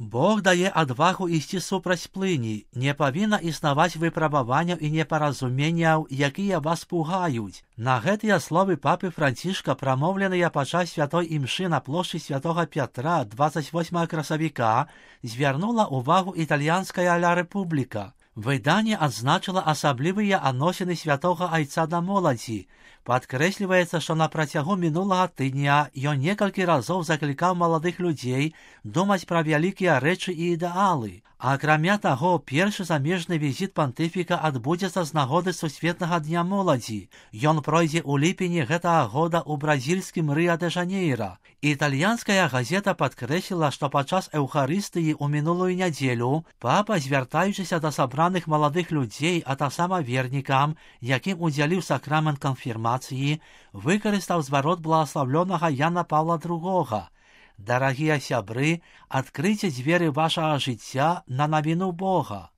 Бог дае адвагу ісці супраць плыні, не павінна існаваць выпрабаванняў і непаразуменняў, якія вас пугаюць. На гэтыя словы папы Францішка, прамоўленыя падчас святой імшы на плошчы святога Пятра 28 красавіка, звярнула ўвагу італьянская Ля Рэпубліка. Выданне адзначыла асаблівыя адносіны святога айца да моладзі. Падкрэсліваецца, што на працягу мінулага тыдня ён некалькі разоў заклікаў маладых людзей думаць пра вялікія рэчы і ідэалы. Акрамя таго, першы замежны візіт пантыфіка адбудзецца з нагоды сусветнага дня моладзі. Ён пройдзе ў ліпені гэтага года ў бразільскім Рыа-дэ-Жанейра. Італьянская газета падкрэсліла, што падчас эўхарыстыі ў мінулую нядзелю папа, звяртаючыся да сабраных маладых людзей, а таксама вернікам, якім удзяліў сакрамент канфірмацыі, выкарыстаў зварот благаслаўлёнага Яна Паўла II. Дарагія сябры, адкрыйце дзверы вашага жыцця на навіну Бога.